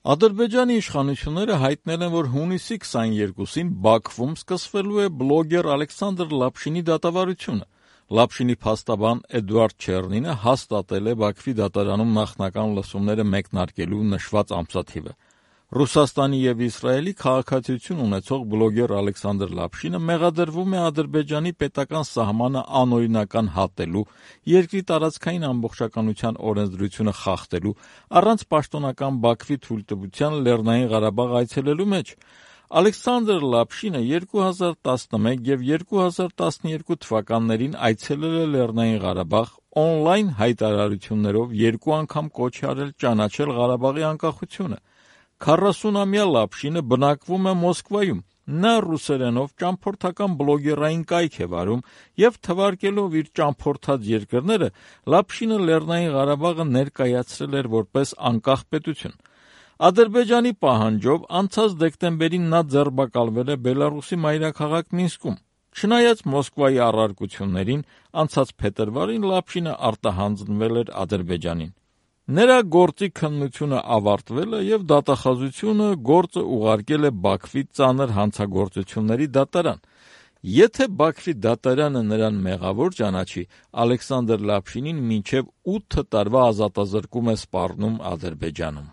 Ադրբեջանի իշխանությունները հայտնել են, որ հունիսի 22-ին Բաքվում սկսվելու է բլոգեր Ալեքսանդր Լապշինի դատավարությունը։ Լապշինի փաստաբան Էդուարդ Չեռնինը հաստատել է Բաքվի դատարանում նախնական լսումները մեկնարկելու նշված ամսաթիվը։ Ռուսաստանի և Իսրայելի քաղաքացիություն ունեցող բլոգեր Ալեքսանդր Լապշինը մեղադրվում է Ադրբեջանի պետական սահմանը անօրինական հատելու, երկրի տարածքային ամբողջականության օրենսդրությունը խախտելու, առանց պաշտոնական Բաքվի թույլտվության Լեռնային Ղարաբաղ այցելելու մեջ։ Ալեքսանդր Լապշինը 2011 և 2012 թվականներին այցելել է Լեռնային Ղարաբաղ, օնլայն հայտարարություններով 2 անգամ կոչ է արել ճանաչել Ղարաբաղի անկախությունը։ 40-ամյա Լապշինը բնակվում է Մոսկվայում։ Նա ռուսերենով ճամփորդական բլոգերային կայք է վարում և թվարկելով իր ճամփորդած երկրները, Լապշինը Լեռնային Ղարաբաղը ներկայացրել էր որպես անկախ պետություն։ Ադրբեջանի պահանջով անցած դեկտեմբերին նա ձերբակալվել է Բելարուսի մայրաքաղաք Մինսկում։ Չնայած Մոսկվայի առարկություններին, անցած փետրվարին Լապշինը արտահանձնվել էր Ադրբեջանին։ Նրա գործի քննությունը ավարտվել է և դատախազությունը գործը ուղարկել է Բաքվի ծանր հանցագործությունների դատարան։ Եթե Բաքվի դատարանը նրան մեղավոր ճանաչի, Ալեքսանդր Լապշինին մինչև 8 տարվա ազատազրկում է սպառնում Ադրբեջանում։